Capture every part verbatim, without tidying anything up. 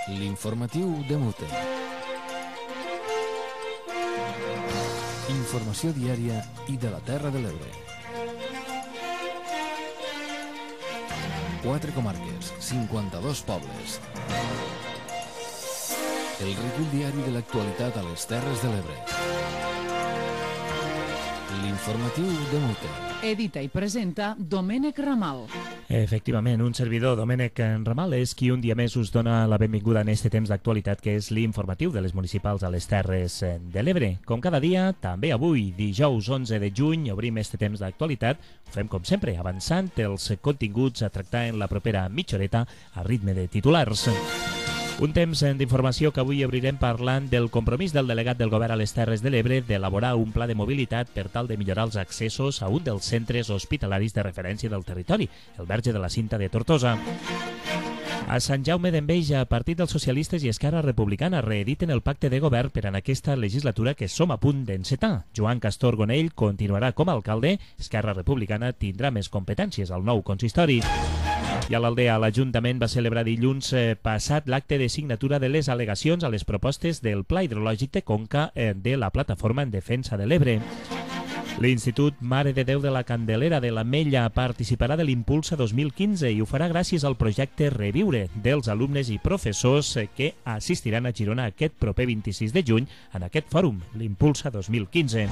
L'informatiu de Mute. Informació diària i de la Terra de l'Ebre. Quatre comarques, cinquanta-dos pobles. El recull diari de l'actualitat a les Terres de l'Ebre. L'informatiu de Mute. Edita i presenta Domènec Ramal. Efectivament, un servidor, Domènec Ramal, és qui un dia més us dona la benvinguda en este temps d'actualitat que és l'informatiu de les municipals a les Terres de l'Ebre. Com cada dia, també avui, dijous onze de juny, obrim este temps d'actualitat. Ho fem com sempre, avançant els continguts a tractar en la propera mitja horeta a ritme de titulars. Un temps d'informació que avui obrirem parlant del compromís del delegat del govern a les Terres de l'Ebre d'elaborar un pla de mobilitat per tal de millorar els accessos a un dels centres hospitalaris de referència del territori, el Verge de la Cinta de Tortosa. A Sant Jaume d'Enveja, Partit dels Socialistes i Esquerra Republicana reediten el pacte de govern per en aquesta legislatura que som a punt d'encetar. Joan Castor Gonell continuarà com a alcalde, Esquerra Republicana tindrà més competències al nou consistori. I a l'Aldea, l'Ajuntament va celebrar dilluns eh, passat l'acte de signatura de les al·legacions a les propostes del Pla Hidrològic de Conca eh, de la Plataforma en Defensa de l'Ebre. L'Institut Mare de Déu de la Candelera de l'Ametlla participarà de l'Impulsa dos mil quinze i ho farà gràcies al projecte Reviure dels alumnes i professors eh, que assistiran a Girona aquest proper vint-i-sis de juny en aquest fòrum, l'Impulsa dos mil quinze.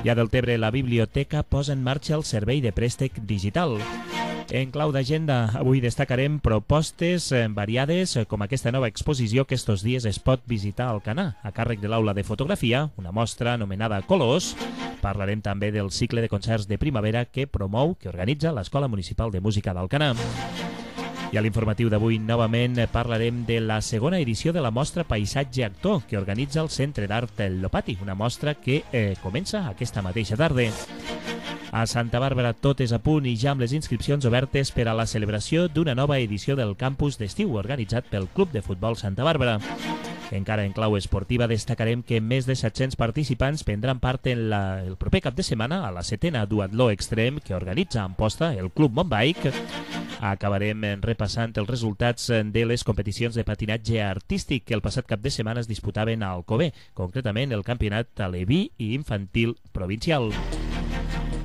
I a Deltebre, la Biblioteca posa en marxa el servei de préstec digital. En clau d'agenda, avui destacarem propostes variades com aquesta nova exposició que estos dies es pot visitar al Canà, a càrrec de l'aula de fotografia, una mostra anomenada Colors. Parlarem també del cicle de concerts de primavera que promou, que organitza l'Escola Municipal de Música d'Alcanar. I a l'informatiu d'avui, novament, parlarem de la segona edició de la mostra Paisatge Actor que organitza el Centre d'Art El Lopati, una mostra que eh, comença aquesta mateixa tarda. A Santa Bàrbara tot és a punt i ja amb les inscripcions obertes per a la celebració d'una nova edició del campus d'estiu organitzat pel Club de Futbol Santa Bàrbara. Encara en clau esportiva destacarem que més de set-cents participants prendran part en la, el proper cap de setmana a la setena duatló extrem que organitza en posta el Club Montbike. Acabarem repassant els resultats de les competicions de patinatge artístic que el passat cap de setmana es disputaven a Alcover, concretament el campionat aleví i infantil provincial.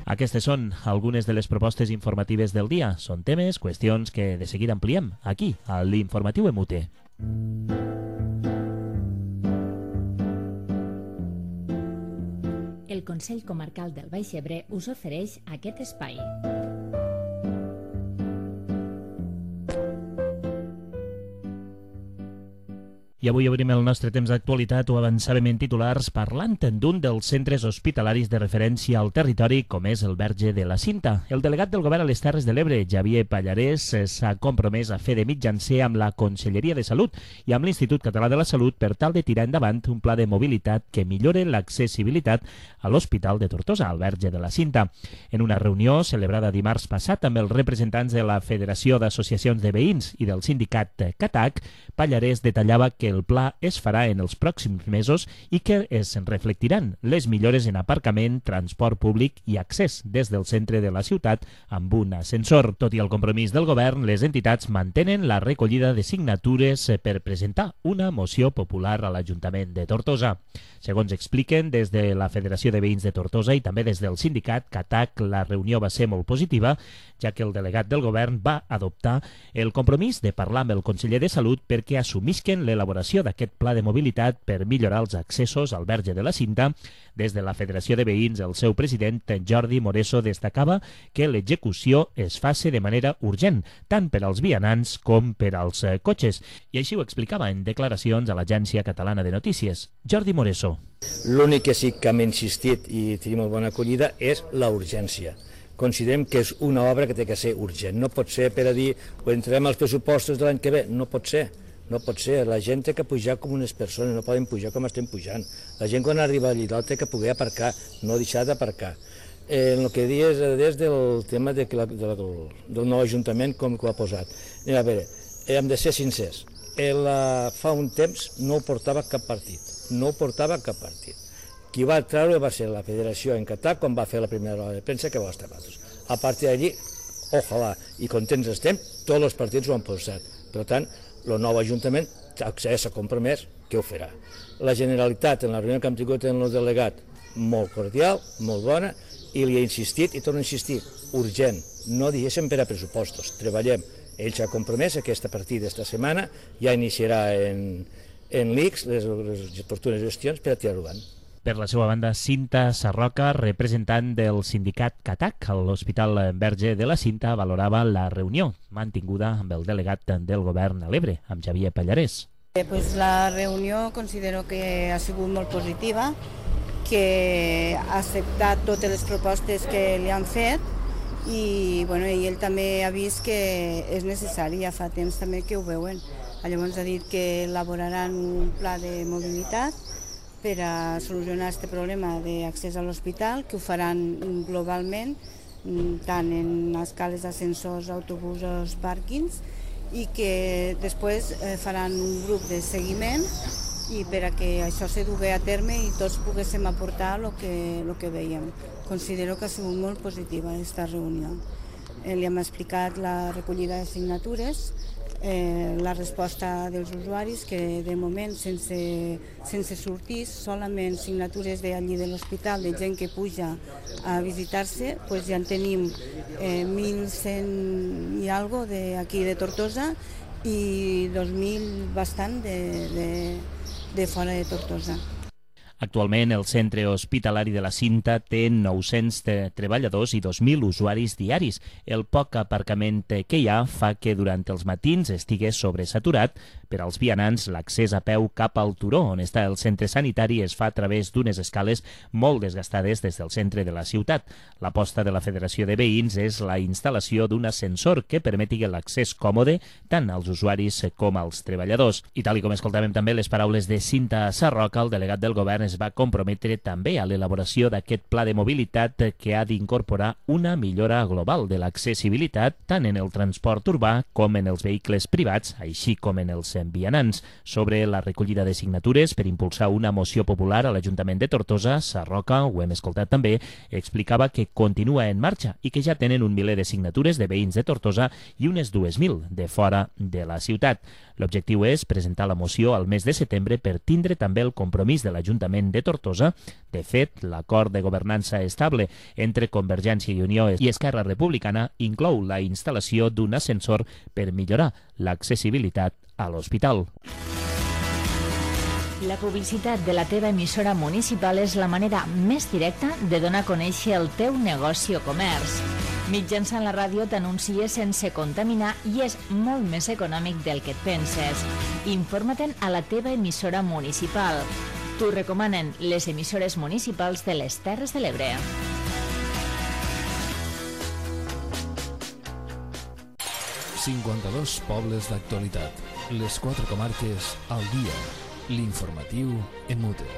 Aquestes són algunes de les propostes informatives del dia. Són temes, qüestions que de seguida ampliem aquí, a l'Informatiu Emute. El Consell Comarcal del Baix Ebre us ofereix aquest espai. I avui obrim el nostre temps d'actualitat, ho avançàvem en titulars, parlant d'un dels centres hospitalaris de referència al territori, com és el Verge de la Cinta. El delegat del govern a les Terres de l'Ebre, Xavier Pallarès, s'ha compromès a fer de mitjancer amb la Conselleria de Salut i amb l'Institut Català de la Salut per tal de tirar endavant un pla de mobilitat que millore l'accessibilitat a l'Hospital de Tortosa, al Verge de la Cinta. En una reunió celebrada dimarts passat amb els representants de la Federació d'Associacions de Veïns i del sindicat CATAC, Pallarès detallava que el pla es farà en els pròxims mesos i que es reflectiran les millores en aparcament, transport públic i accés des del centre de la ciutat amb un ascensor. Tot i el compromís del govern, les entitats mantenen la recollida de signatures per presentar una moció popular a l'Ajuntament de Tortosa. Segons expliquen des de la Federació de Veïns de Tortosa i també des del sindicat CATAC, la reunió va ser molt positiva, ja que el delegat del govern va adoptar el compromís de parlar amb el conseller de Salut perquè assumisquen l'elaboració d'aquest pla de mobilitat per millorar els accessos al Verge de la Cinta. Des de la Federació de Veïns, el seu president, Jordi Moreso, destacava que l'execució es faci de manera urgent, tant per als vianants com per als eh, cotxes. I així ho explicava en declaracions a l'Agència Catalana de Notícies. Jordi Moreso. L'únic que sí que hem insistit i tenim molt bona acollida és la urgència. Considerem que és una obra que té que ser urgent. No pot ser per a dir, o entrem als pressupostos de l'any que ve. No pot ser. No pot ser. La gent té que pujar com unes persones, no poden pujar com estem pujant. La gent quan arriba allà dalt té que poder aparcar, no deixar d'aparcar. Eh, el que dius des del tema de la, de la, del nou Ajuntament, com que ho ha posat. A veure, hem de ser sincers. El, fa un temps no ho portava cap partit. No ho portava cap partit. Qui va treure va ser la Federació en Qatar quan va fer la primera roda de premsa que va estar nosaltres. A partir d'allí, ojalà, i contents estem, tots els partits ho han posat. Per tant, el nou Ajuntament s'ha compromès que ho farà. La Generalitat, en la reunió que hem tingut amb el delegat, molt cordial, molt bona, i li he insistit, i torno a insistir, urgent, no deixem per a pressupostos, treballem. Ell s'ha compromès que aquesta partida esta setmana ja iniciarà en, en l'I C S les, les oportunes gestions per a tirar-ho avant. Per la seva banda, Cinta Sarroca, representant del sindicat CATAC a l'Hospital Verge de la Cinta, valorava la reunió mantinguda amb el delegat del govern a l'Ebre, amb Xavier Pallarès. Eh, pues la reunió considero que ha sigut molt positiva, que ha acceptat totes les propostes que li han fet i, bueno, i ell també ha vist que és necessari, ja fa temps també que ho veuen. Llavors ha dit que elaboraran un pla de mobilitat per a solucionar aquest problema d'accés a l'hospital, que ho faran globalment, tant en escales d'ascensors, autobusos, pàrquings, i que després faran un grup de seguiment i per a que això se dugui a terme i tots poguéssim aportar el que, el que veiem. Considero que ha sigut molt positiva aquesta reunió. Eh, li hem explicat la recollida de signatures, eh, la resposta dels usuaris, que de moment sense, sense sortir, solament signatures d'allí de l'hospital, de gent que puja a visitar-se, pues ja en tenim eh, mil cent i algo d'aquí de Tortosa i dos mil bastant de, de, de fora de Tortosa. Actualment, el centre hospitalari de la Cinta té nou-cents treballadors i dos mil usuaris diaris. El poc aparcament que hi ha fa que durant els matins estigués sobresaturat. Per als vianants, l'accés a peu cap al turó, on està el centre sanitari, es fa a través d'unes escales molt desgastades des del centre de la ciutat. L'aposta de la Federació de Veïns és la instal·lació d'un ascensor que permeti l'accés còmode tant als usuaris com als treballadors. I tal com escoltàvem també les paraules de Cinta Sarroca, el delegat del govern es va comprometre també a l'elaboració d'aquest pla de mobilitat que ha d'incorporar una millora global de l'accessibilitat tant en el transport urbà com en els vehicles privats, així com en els vianants. Sobre la recollida de signatures per impulsar una moció popular a l'Ajuntament de Tortosa, Sarroca, ho hem escoltat també, explicava que continua en marxa i que ja tenen un miler de signatures de veïns de Tortosa i unes dues mil de fora de la ciutat. L'objectiu és presentar la moció al mes de setembre per tindre també el compromís de l'Ajuntament de Tortosa. De fet, l'acord de governança estable entre Convergència i Unió i Esquerra Republicana inclou la instal·lació d'un ascensor per millorar l'accessibilitat a l'hospital. La publicitat de la teva emissora municipal és la manera més directa de donar a conèixer el teu negoci o comerç. Mitjançant la ràdio t'anuncies sense contaminar i és molt més econòmic del que et penses. Informa-te'n a la teva emissora municipal. T'ho recomanen les emissores municipals de les Terres de l'Ebre. cinquanta-dos pobles d'actualitat. Les quatre comarques al dia. L'informatiu en mute.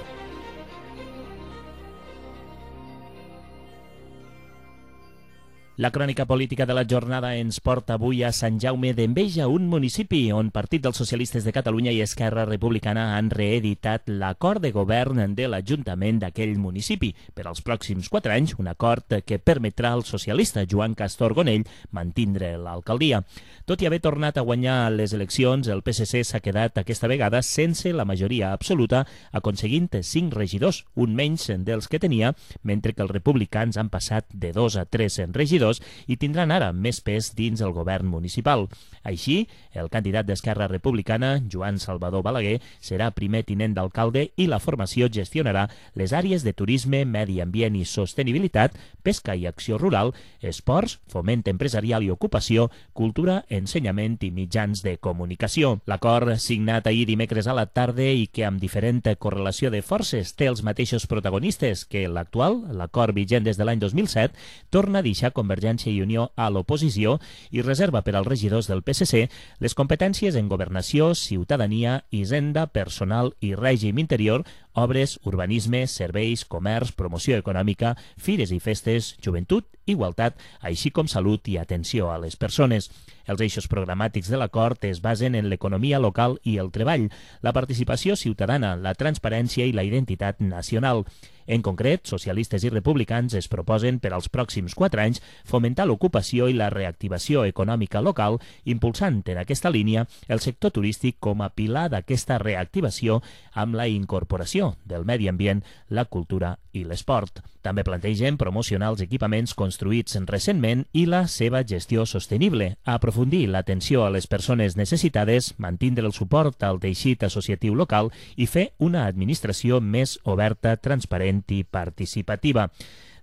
La crònica política de la jornada ens porta avui a Sant Jaume d'Enveja, un municipi on Partit dels Socialistes de Catalunya i Esquerra Republicana han reeditat l'acord de govern de l'Ajuntament d'aquell municipi per als pròxims quatre anys, un acord que permetrà al socialista Joan Castor Gonell mantindre l'alcaldia. Tot i haver tornat a guanyar les eleccions, el P S C s'ha quedat aquesta vegada sense la majoria absoluta, aconseguint cinc regidors, un menys dels que tenia, mentre que els republicans han passat de dos a tres regidors i tindran ara més pes dins el govern municipal. Així, el candidat d'Esquerra Republicana, Joan Salvador Balaguer, serà primer tinent d'alcalde i la formació gestionarà les àrees de turisme, medi ambient i sostenibilitat, pesca i acció rural, esports, foment empresarial i ocupació, cultura, ensenyament i mitjans de comunicació. L'acord, signat ahir dimecres a la tarda i que amb diferent correlació de forces té els mateixos protagonistes que l'actual, l'acord vigent des de l'any dos mil set, torna a deixar Convergència i Unió a l'oposició i reserva per als regidors del P S C les competències en governació, ciutadania, hisenda, personal i règim interior, obres, urbanisme, serveis, comerç, promoció econòmica, fires i festes, joventut, igualtat, així com salut i atenció a les persones. Els eixos programàtics de l'acord es basen en l'economia local i el treball, la participació ciutadana, la transparència i la identitat nacional. En concret, socialistes i republicans es proposen per als pròxims quatre anys fomentar l'ocupació i la reactivació econòmica local, impulsant en aquesta línia el sector turístic com a pilar d'aquesta reactivació amb la incorporació del medi ambient, la cultura i l'esport. També plantegen promocionar els equipaments construïts recentment i la seva gestió sostenible, aprofundir l'atenció a les persones necessitades, mantindre el suport al teixit associatiu local i fer una administració més oberta, transparent i participativa.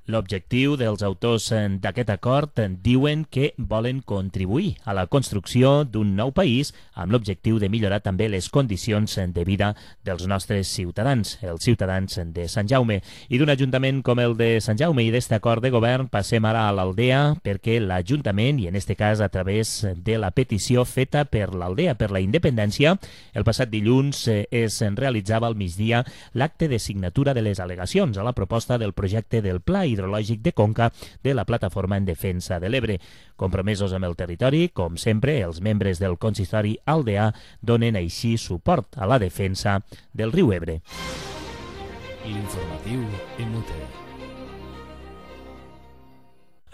L'objectiu dels autors d'aquest acord diuen que volen contribuir a la construcció d'un nou país amb l'objectiu de millorar també les condicions de vida dels nostres ciutadans, els ciutadans de Sant Jaume. I d'un ajuntament com el de Sant Jaume i d'aquest acord de govern passem ara a l'Aldea, perquè l'Ajuntament, i en aquest cas a través de la petició feta per l'Aldea per la Independència, el passat dilluns es realitzava al migdia l'acte de signatura de les al·legacions a la proposta del projecte del Pla hidrològic de Conca de la Plataforma en Defensa de l'Ebre. Compromesos amb el territori, com sempre, els membres del consistori aldeà donen així suport a la defensa del riu Ebre. L'informatiu en Muter.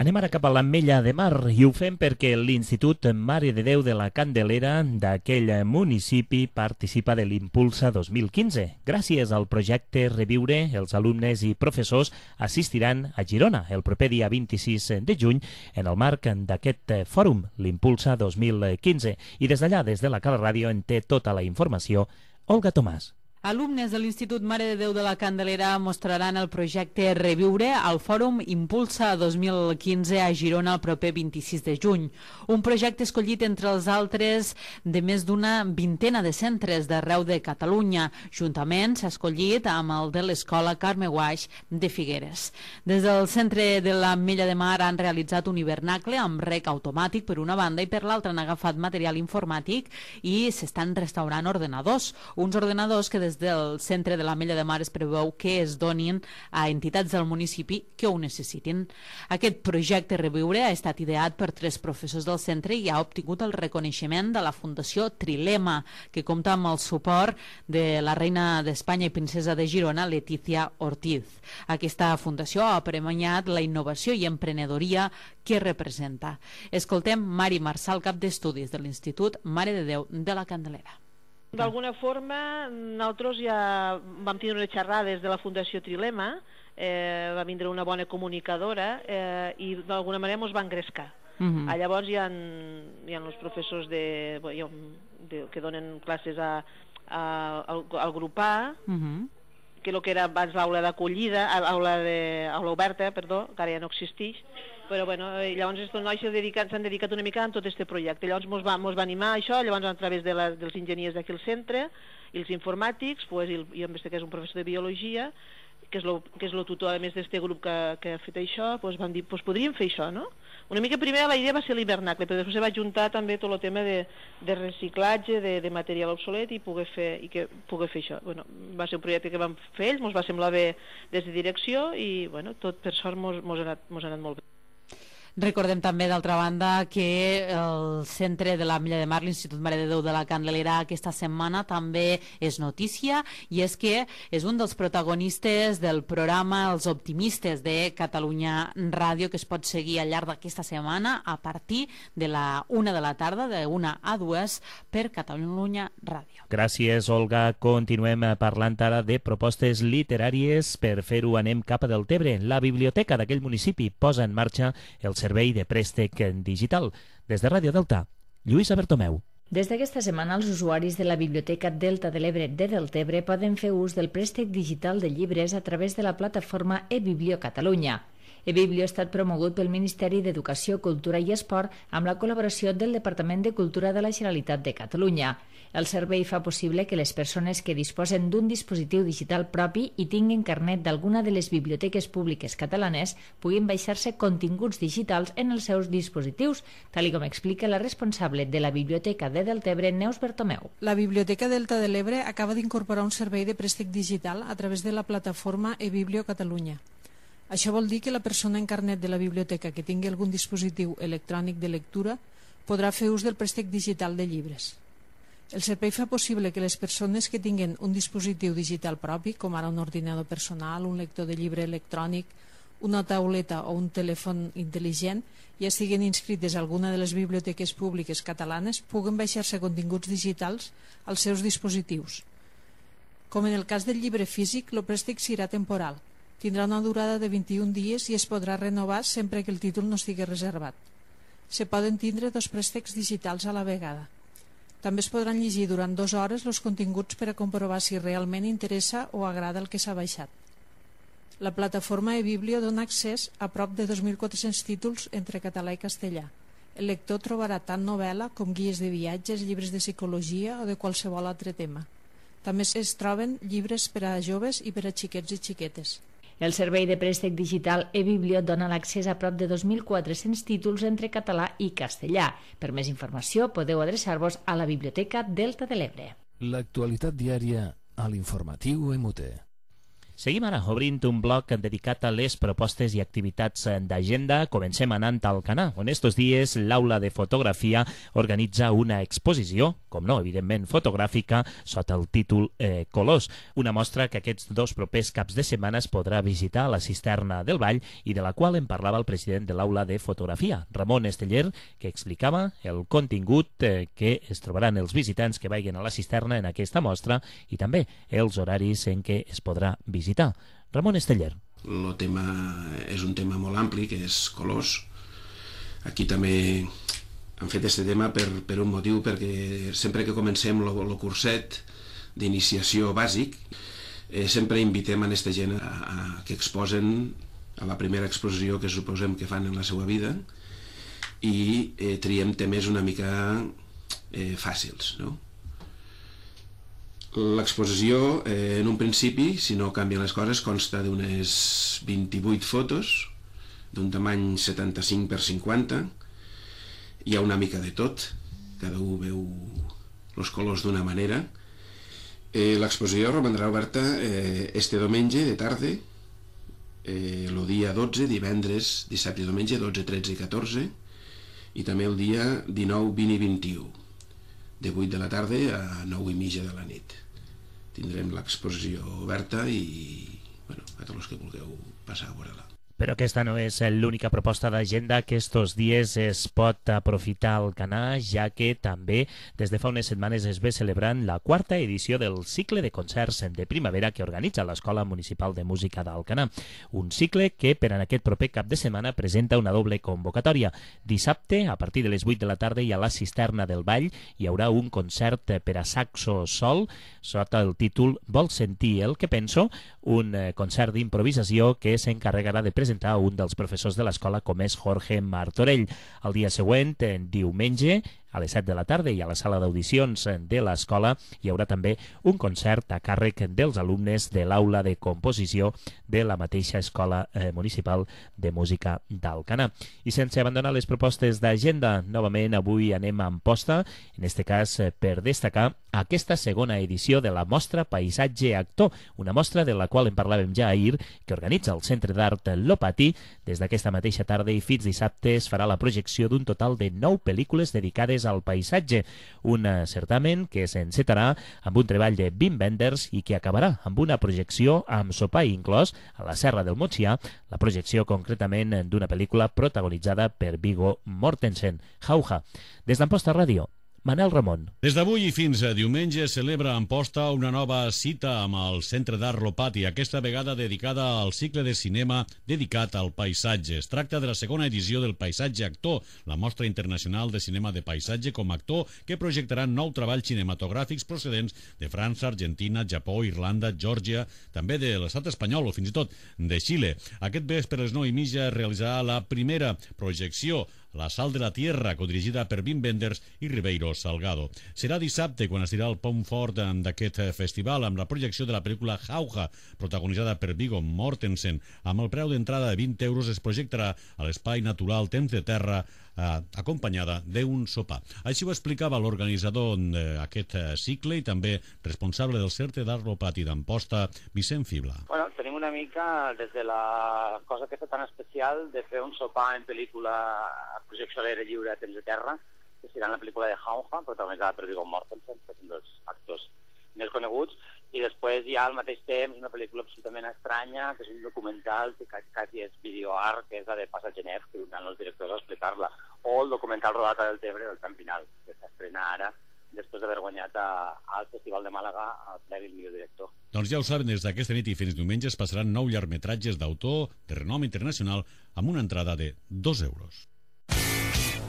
Anem ara cap a l'Ametlla de Mar i ho fem perquè l'Institut Mare de Déu de la Candelera d'aquell municipi participa de l'Impulsa dos mil quinze. Gràcies al projecte Reviure, els alumnes i professors assistiran a Girona el proper dia vint-i-sis de juny en el marc d'aquest fòrum, l'Impulsa dos mil quinze. I des d'allà, des de la Cala Ràdio, en té tota la informació Olga Tomàs. Alumnes de l'Institut Mare de Déu de la Candelera mostraran el projecte Reviure al Fòrum Impulsa dos mil quinze a Girona el proper vint-i-sis de juny. Un projecte escollit entre els altres de més d'una vintena de centres d'arreu de Catalunya. Juntament s'ha escollit amb el de l'Escola Carme Guaix de Figueres. Des del centre de l'Ametlla de Mar han realitzat un hivernacle amb rec automàtic per una banda i per l'altra han agafat material informàtic i s'estan restaurant ordenadors. Uns ordenadors que des del centre de l'Ametlla de Mar es preveu que es donin a entitats del municipi que ho necessitin. Aquest projecte Reviure ha estat ideat per tres professors del centre i ha obtingut el reconeixement de la Fundació Trilema, que compta amb el suport de la reina d'Espanya i princesa de Girona, Letícia Ortiz. Aquesta fundació ha premiat la innovació i emprenedoria que representa. Escoltem Mari Marçal, cap d'estudis de l'Institut Mare de Déu de la Candelera. D'alguna forma, nosaltres ja vam tenir unes xerrades de la Fundació Trilema, eh, va vindre una bona comunicadora eh, i d'alguna manera ens va engrescar. Uh-huh. Ah, llavors hi ha, hi ha els professors de, de, que donen classes a, a, al, al grup A, uh-huh. que el que era abans l'aula d'acollida, l'aula de, aula oberta, perdó, que ara ja no existeix, però bueno, llavors aquests nois s'han dedicat, dedicat una mica a tot aquest projecte. Llavors mos va, mos va animar a això, llavors a través de la, dels enginyers d'aquí al centre i els informàtics, pues, i, i en este cas un professor de biologia, que és, lo, que és lo tutor a més d'aquest grup que, que ha fet això, pues, van dir, pues, podríem fer això, no? Una mica primer la idea va ser l'hivernacle, però després se va juntar també tot el tema de, de reciclatge, de, de material obsolet i poder fer, i que poder fer això. Bueno, va ser un projecte que vam fer ells, ens va semblar bé des de direcció i bueno, tot per sort mos, mos, ha, anat, mos ha anat molt bé. Recordem també, d'altra banda, que el centre de l'Ametlla de Mar, l'Institut Mare de Déu de la Candelera, aquesta setmana també és notícia, i és que és un dels protagonistes del programa Els Optimistes de Catalunya Ràdio, que es pot seguir al llarg d'aquesta setmana a partir de la una de la tarda, de una a dues, per Catalunya Ràdio. Gràcies, Olga. Continuem parlant ara de propostes literàries. Per fer-ho anem cap a Deltebre. La biblioteca d'aquell municipi posa en marxa el servei de préstec digital. Des de Ràdio Delta, Lluïsa Bertomeu. Des d'aquesta setmana, els usuaris de la Biblioteca Delta de l'Ebre de Deltebre poden fer ús del préstec digital de llibres a través de la plataforma eBiblio Catalunya. eBiblio ha estat promogut pel Ministeri d'Educació, Cultura i Esport amb la col·laboració del Departament de Cultura de la Generalitat de Catalunya. El servei fa possible que les persones que disposen d'un dispositiu digital propi i tinguin carnet d'alguna de les biblioteques públiques catalanes puguin baixar-se continguts digitals en els seus dispositius, tal com explica la responsable de la Biblioteca de Deltebre, Neus Bertomeu. La Biblioteca Delta de l'Ebre acaba d'incorporar un servei de préstec digital a través de la plataforma eBiblio Catalunya. Això vol dir que la persona en carnet de la biblioteca que tingui algun dispositiu electrònic de lectura podrà fer ús del préstec digital de llibres. El servei fa possible que les persones que tinguen un dispositiu digital propi, com ara un ordinador personal, un lector de llibre electrònic, una tauleta o un telèfon intel·ligent, ja estiguen inscrites a alguna de les biblioteques públiques catalanes, puguen baixar-se continguts digitals als seus dispositius. Com en el cas del llibre físic, el préstec serà temporal. Tindrà una durada de vint-i-un dies i es podrà renovar sempre que el títol no estigui reservat. Se poden tindre dos préstecs digitals a la vegada. També es podran llegir durant dues hores els continguts per a comprovar si realment interessa o agrada el que s'ha baixat. La plataforma eBiblio dona accés a prop de dos mil quatre-cents títols entre català i castellà. El lector trobarà tant novel·la com guies de viatges, llibres de psicologia o de qualsevol altre tema. També es troben llibres per a joves i per a xiquets i xiquetes. El servei de préstec digital eBiblio dona l'accés a prop de dos mil quatre-cents títols entre català i castellà. Per més informació podeu adreçar-vos a la Biblioteca Delta de l'Ebre. L'actualitat diària a l'informatiu M U T. Seguim ara obrint un bloc dedicat a les propostes i activitats d'agenda. Comencem anant al Canà, on estos dies l'Aula de Fotografia organitza una exposició, com no, evidentment fotogràfica, sota el títol eh, Colors, una mostra que aquests dos propers caps de setmana es podrà visitar a la Cisterna del Vall i de la qual en parlava el president de l'Aula de Fotografia, Ramon Esteller, que explicava el contingut eh, que es trobaran els visitants que vagin a la cisterna en aquesta mostra i també els horaris en què es podrà visitar. visitar. Ramon Esteller. El tema és un tema molt ampli, que és colors. Aquí també han fet aquest tema per, per un motiu, perquè sempre que comencem el curset d'iniciació bàsic, eh, sempre invitem a aquesta gent a, a que exposen a la primera exposició que suposem que fan en la seva vida i eh, triem temes una mica eh, fàcils, no? L'exposició, eh, en un principi, si no canvien les coses, consta d'unes vint-i-vuit fotos, d'un tamany setanta-cinc per cinquanta. Hi ha una mica de tot, cada un veu els colors d'una manera. Eh, L'exposició romandrà oberta eh, este diumenge de tarda, eh, el dia dotze, divendres, dissabte i diumenge, dotze, tretze i catorze, i també el dia dinou, vint i vint-i-u, de vuit de la tarda a nou i mitja de la nit. Tindrem l'exposició oberta i, bueno, a tots els que vulgueu passar a veure-la. Però aquesta no és l'única proposta d'agenda que estos dies es pot aprofitar al Canà, ja que també des de fa unes setmanes es ve celebrant la quarta edició del cicle de concerts de primavera que organitza l'Escola Municipal de Música d'Alcanar. Un cicle que per en aquest proper cap de setmana presenta una doble convocatòria. Dissabte, a partir de les vuit de la tarda i a la Cisterna del Vall, hi haurà un concert per a saxo sol sota el títol Vols sentir el que penso?, un concert d'improvisació que s'encarregarà de presentar un dels professors de l'escola, com és Jorge Martorell. El dia següent, diumenge, a les set de la tarda i a la sala d'audicions de l'escola hi haurà també un concert a càrrec dels alumnes de l'aula de composició de la mateixa Escola eh, Municipal de Música d'Alcanar. I sense abandonar les propostes d'agenda, novament avui anem a Amposta, en este cas eh, per destacar aquesta segona edició de la mostra Paisatge Actor, una mostra de la qual en parlàvem ja ahir, que organitza el Centre d'Art Lopati. Des d'aquesta mateixa tarda i fins dissabte es farà la projecció d'un total de nou pel·lícules dedicades al paisatge, un certamen que s'encetarà amb un treball de Wim Wenders i que acabarà amb una projecció amb sopar inclòs a la Serra del Montsià, la projecció concretament d'una pel·lícula protagonitzada per Viggo Mortensen, Jauja. Des d'Amposta Ràdio, Manel Ramon. Des d'avui i fins a diumenge celebra a Amposta una nova cita amb el Centre d'Art Lopati, aquesta vegada dedicada al cicle de cinema dedicat al paisatge. Es tracta de la segona edició del Paisatge Actor, la mostra internacional de cinema de paisatge com a actor que projectarà nou treballs cinematogràfics procedents de França, Argentina, Japó, Irlanda, Geòrgia, també de l'estat espanyol o fins i tot de Xile. Aquest vespre a les nou i mitja es realitzarà la primera projecció, La Sal de la Tierra, codirigida per Wim Wenders i Ribeiro Salgado. Serà dissabte quan es dirà el pont fort d'aquest festival amb la projecció de la pel·lícula Jauja, protagonitzada per Viggo Mortensen. Amb el preu d'entrada de vint euros es projectarà a l'espai natural Temps de Terra, eh, acompanyada d'un sopar. Així ho explicava l'organitzador d'aquest cicle i també responsable del Centre d'Art Lopati d'Amposta, Vicent Fibla. Bueno, tenim una mica des de la cosa aquesta tan especial de fer un sopar en pel·lícula a projecció a l'aire lliure a Temps de Terra, que serà la pel·lícula de Jauja, protagonitzada per Viggo Mortensen, que és un dels actors més coneguts, i després hi ha al mateix temps una pel·lícula absolutament estranya, que és un documental que quasi és videoart, que és la de Passagenet, que vindran els directors a explicar-la, o el documental rodat a Deltebre del Tram Final, que s'estrena ara, després d'haver guanyat a, al Festival de Màlaga el Premi del millor director. Doncs ja ho saben, des d'aquesta nit i fins diumenge es passaran nou llargmetratges d'autor de renom internacional amb una entrada de dos euros.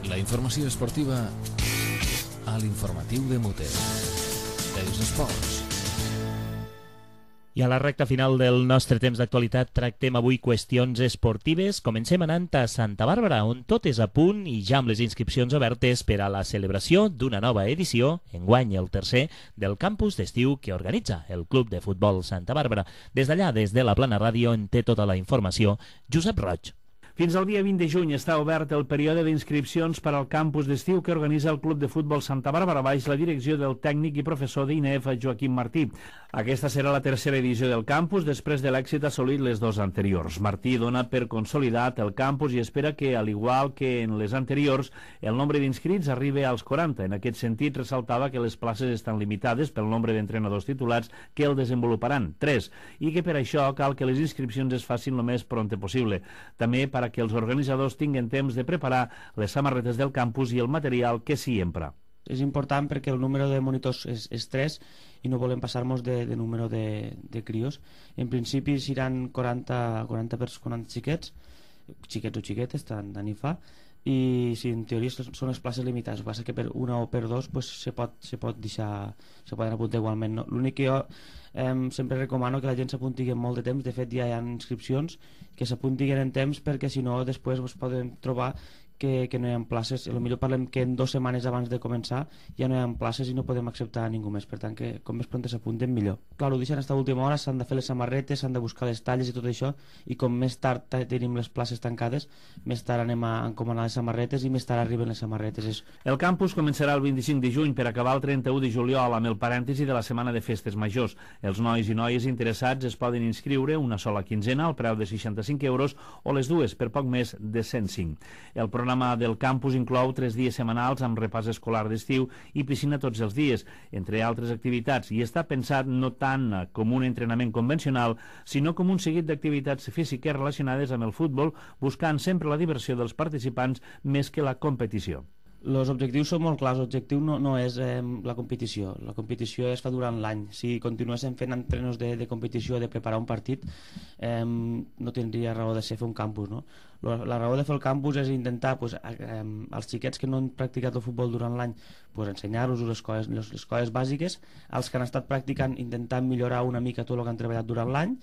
La informació esportiva a l'informatiu de Mute. Els esports. I a la recta final del nostre temps d'actualitat tractem avui qüestions esportives. Comencem anant a Santa Bàrbara, on tot és a punt i ja amb les inscripcions obertes per a la celebració d'una nova edició, enguany el tercer, del campus d'estiu que organitza el Club de Futbol Santa Bàrbara. Des d'allà, des de la Plana Ràdio, en té tota la informació Josep Roig. Fins al dia vint de juny està obert el període d'inscripcions per al campus d'estiu que organitza el Club de Futbol Santa Bàrbara baix la direcció del tècnic i professor d'I N E F, Joaquim Martí. Aquesta serà la tercera edició del campus després de l'èxit assolit les dues anteriors. Martí dona per consolidat el campus i espera que, al igual que en les anteriors, el nombre d'inscrits arribi als quaranta. En aquest sentit, ressaltava que les places estan limitades pel nombre d'entrenadors titulats que el desenvoluparan, tres, i que per això cal que les inscripcions es facin el més prompte possible. També per que els organitzadors tinguin temps de preparar les samarretes del campus i el material que s'hi empra. És important perquè el número de monitors és, és tres i no volem passar-nos de, de número de, de crios. En principi seran quaranta, quaranta, quaranta xiquets, xiquets o xiquetes, tant, tant hi fa, i si en teoria són les places limitades, el que passa que per una o per dos pues, se, pot, se pot deixar, se poden apuntar igualment. No? L'únic que jo eh, sempre recomano que la gent s'apunti en molt de temps. De fet ja hi ha inscripcions que s'apuntin en temps perquè si no després pues, poden trobar que, que no hi ha places. A lo millor parlem que en dues setmanes abans de començar ja no hi ha places i no podem acceptar a ningú més, per tant que com més pront s'apunten millor. Clar, ho deixen fins a última hora, s'han de fer les samarretes, s'han de buscar les talles i tot això, i com més tard tenim les places tancades, més tard anem a encomanar les samarretes i més tard arriben les samarretes. És... El campus començarà el vint-i-cinc de juny per acabar el trenta-u de juliol amb el parèntesi de la setmana de festes majors. Els nois i noies interessats es poden inscriure una sola quinzena al preu de seixanta-cinc euros o les dues per poc més de cent cinc. El programa del campus inclou tres dies setmanals amb repàs escolar d'estiu i piscina tots els dies, entre altres activitats, i està pensat no tant com un entrenament convencional, sinó com un seguit d'activitats físiques relacionades amb el futbol, buscant sempre la diversió dels participants més que la competició. Els objectius són molt clars. L'objectiu no, no és eh, la competició. La competició es fa durant l'any. Si continuéssim fent entrenos de, de competició, de preparar un partit, eh, no tindria raó de ser fer un campus, no? La, la raó de fer el campus és intentar pues, eh, als xiquets que no han practicat el futbol durant l'any pues, ensenyar-los les coses, les, les coses bàsiques, als que han estat practicant intentar millorar una mica tot el que han treballat durant l'any,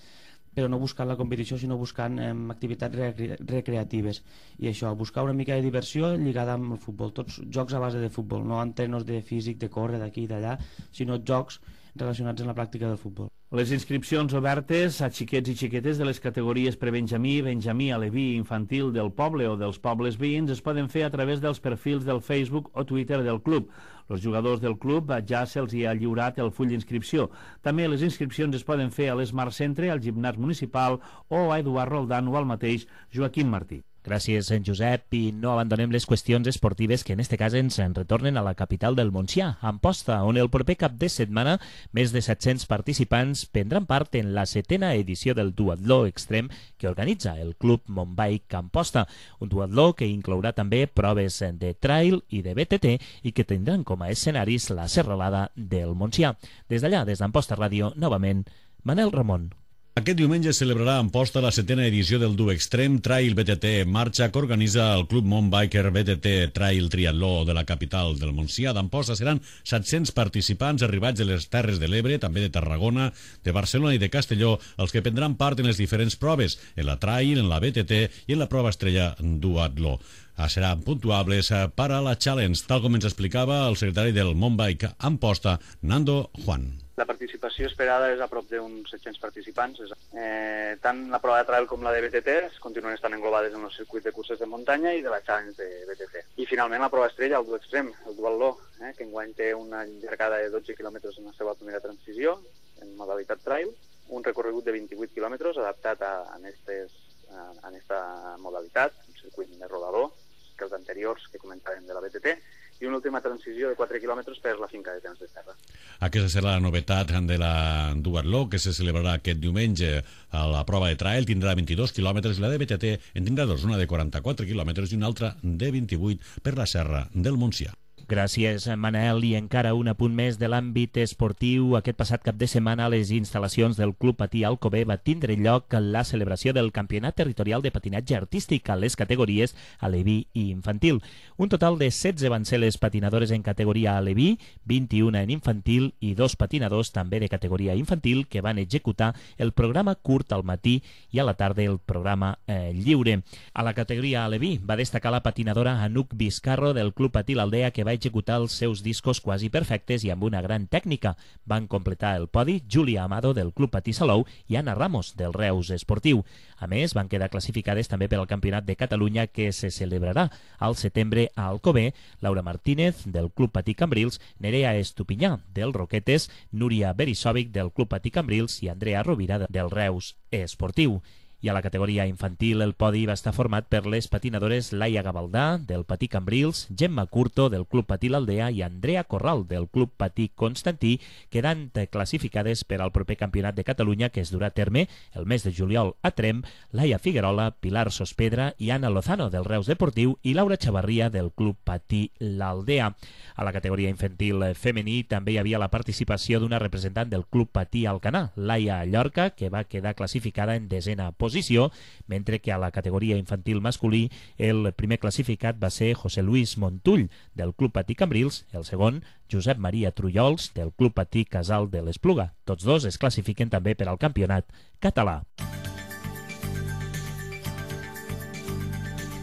però no buscant la competició, sinó buscant eh, activitats recre recreatives. I això, buscar una mica de diversió lligada amb el futbol. Tots jocs a base de futbol, no entrenos de físic, de córrer d'aquí i d'allà, sinó jocs relacionats amb la pràctica del futbol. Les inscripcions obertes a xiquets i xiquetes de les categories prebenjamí, benjamí, aleví i infantil del poble o dels pobles veïns es poden fer a través dels perfils del Facebook o Twitter del club. Els jugadors del club ja se'ls hi ha lliurat el full d'inscripció. També les inscripcions es poden fer a l'Smart Centre, al gimnàs municipal o a Eduard Roldán o al mateix Joaquim Martí. Gràcies, en Josep, i no abandonem les qüestions esportives que en este cas ens en retornen a la capital del Montsià, Amposta, on el proper cap de setmana més de set-cents participants prendran part en la setena edició del duatló extrem que organitza el Club Montbike Amposta, un duatló que inclourà també proves de trail i de B T T i que tindran com a escenaris la serralada del Montsià. Des d'allà, des d'Amposta Ràdio, novament, Manel Ramon. Aquest diumenge es celebrarà a Amposta la setena edició del Du Extrem Trail B T T Marxa que organitza el Club Montbiker B T T Trail Triatló de la capital del Montsià d'Amposta. Seran set-cents participants arribats de les Terres de l'Ebre, també de Tarragona, de Barcelona i de Castelló, els que prendran part en les diferents proves, en la Trail, en la B T T i en la prova estrella Duatló. Seran puntuables per a la Challenge, tal com ens explicava el secretari del Montbike Amposta, Nando Juan. La participació esperada és a prop d'uns set-cents participants. Eh, tant la prova de trail com la de B T T continuen estant englobades en el circuit de curses de muntanya i de la Challenge de B T T. I finalment la prova estrella, el Du Extrem, el duatló, eh, que enguany té una llargada de dotze quilòmetres en la seva primera transició, en modalitat trail, un recorregut de vint-i-vuit quilòmetres adaptat a, a, estes, a, a esta modalitat, un circuit més rodador que els anteriors que comentàvem de la B T T, i una última transició de quatre quilòmetres per la finca de temps de terra. Aquesta serà la novetat de la duatló que se celebrarà aquest diumenge. A la prova de trail tindrà vint-i-dos quilòmetres, la de B T T en tindrà dos, una de quaranta-quatre quilòmetres i una altra de vint-i-vuit per la serra del Montsià. Gràcies, Manel. I encara un apunt més de l'àmbit esportiu. Aquest passat cap de setmana a les instal·lacions del Club Patí Alcover va tindre lloc la celebració del Campionat Territorial de Patinatge Artístic a les categories aleví i infantil. Un total de setze van ser les patinadores en categoria aleví, vint-i-una en infantil i dos patinadors també de categoria infantil que van executar el programa curt al matí i a la tarda el programa eh, lliure. A la categoria aleví va destacar la patinadora Anuc Vizcarro del Club Patí l'Aldea, que va executar els seus discos quasi perfectes i amb una gran tècnica. Van completar el podi Júlia Amado del Club Patí Salou i Anna Ramos del Reus Esportiu. A més, van quedar classificades també per al Campionat de Catalunya que se celebrarà al setembre a Alcover, Laura Martínez del Club Patí Cambrils, Nerea Estupinyà del Roquetes, Núria Berisòvic del Club Patí Cambrils i Andrea Rovira del Reus Esportiu. I a la categoria infantil el podi va estar format per les patinadores Laia Gavaldà del Patí Cambrils, Gemma Curto del Club Patí l'Aldea i Andrea Corral del Club Patí Constantí, quedant classificades per al proper Campionat de Catalunya que es durà a terme el mes de juliol a Trem, Laia Figuerola, Pilar Sospedra i Anna Lozano del Reus Deportiu i Laura Chavarria del Club Patí l'Aldea. A la categoria infantil femení també hi havia la participació d'una representant del Club Patí Alcanar, Laia Llorca, que va quedar classificada en desena posició, mentre que a la categoria infantil masculí el primer classificat va ser José Luis Montull del Club Patí Cambrils, el segon Josep Maria Trullols del Club Patí Casal de l'Espluga. Tots dos es classifiquen també per al campionat català.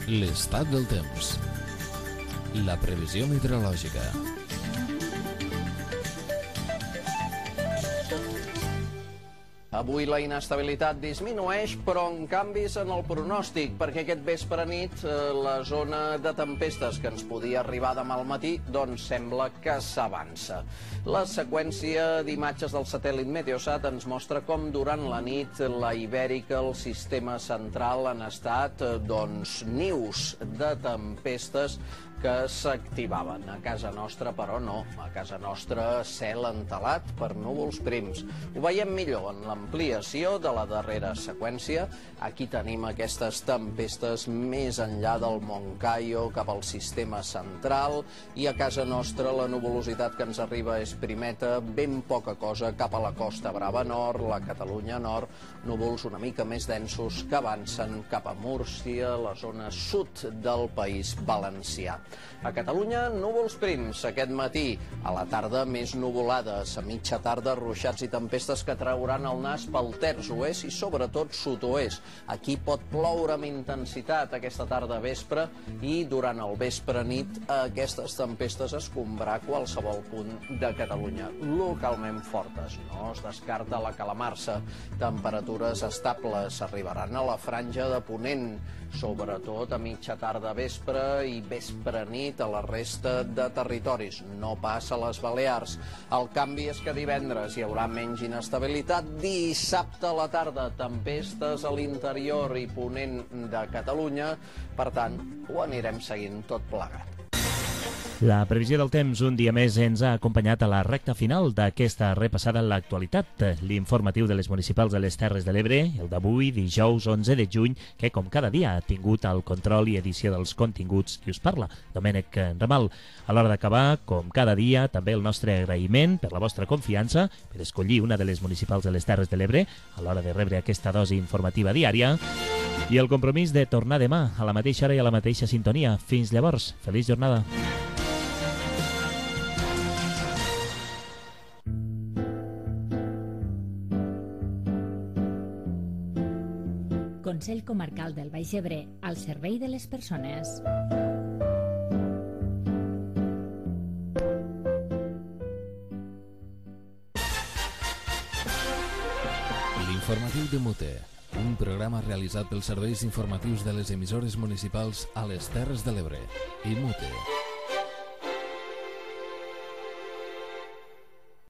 L'estat del temps. La previsió meteorològica. Avui la inestabilitat disminueix, però en canvis en el pronòstic, perquè aquest vespre nit eh, la zona de tempestes que ens podia arribar demà al matí, doncs sembla que s'avança. La seqüència d'imatges del satèl·lit Meteosat ens mostra com durant la nit la Ibèrica, el sistema central, han estat eh, doncs nius de tempestes que s'activaven. A casa nostra, però, no. A casa nostra, cel entelat per núvols prims. Ho veiem millor en l'ampliació de la darrera seqüència. Aquí tenim aquestes tempestes més enllà del Moncayo cap al sistema central, i a casa nostra la nuvolositat que ens arriba és primeta, ben poca cosa cap a la Costa Brava Nord, la Catalunya Nord, núvols una mica més densos que avancen cap a Múrcia, la zona sud del País Valencià. A Catalunya, núvols prims aquest matí. A la tarda, més nuvolades. A mitja tarda, ruixats i tempestes que trauran el nas pel terç oest i sobretot sud-oest. Aquí pot ploure amb intensitat aquesta tarda vespre i durant el vespre nit aquestes tempestes escombrar qualsevol punt de Catalunya. Localment fortes. No es descarta la calamarsa. Temperatures estables arribaran a la franja de ponent, sobretot a mitja tarda vespre i vespre vespre nit a la resta de territoris, no pas a les Balears. El canvi és que divendres hi haurà menys inestabilitat, dissabte a la tarda tempestes a l'interior i ponent de Catalunya, per tant, ho anirem seguint tot plegat. La previsió del temps un dia més ens ha acompanyat a la recta final d'aquesta repassada en l'actualitat. L'informatiu de les municipals de les Terres de l'Ebre, el d'avui, dijous onze de juny, que com cada dia ha tingut el control i edició dels continguts qui us parla, Domènec Ramal. A l'hora d'acabar, com cada dia, també el nostre agraïment per la vostra confiança, per escollir una de les municipals de les Terres de l'Ebre a l'hora de rebre aquesta dosi informativa diària, i el compromís de tornar demà a la mateixa hora i a la mateixa sintonia. Fins llavors, feliç jornada. Consell Comarcal del Baix Ebre, al servei de les persones. L'informatiu de Mute, un programa realitzat pels serveis informatius de les emissores municipals a les Terres de l'Ebre i Mute.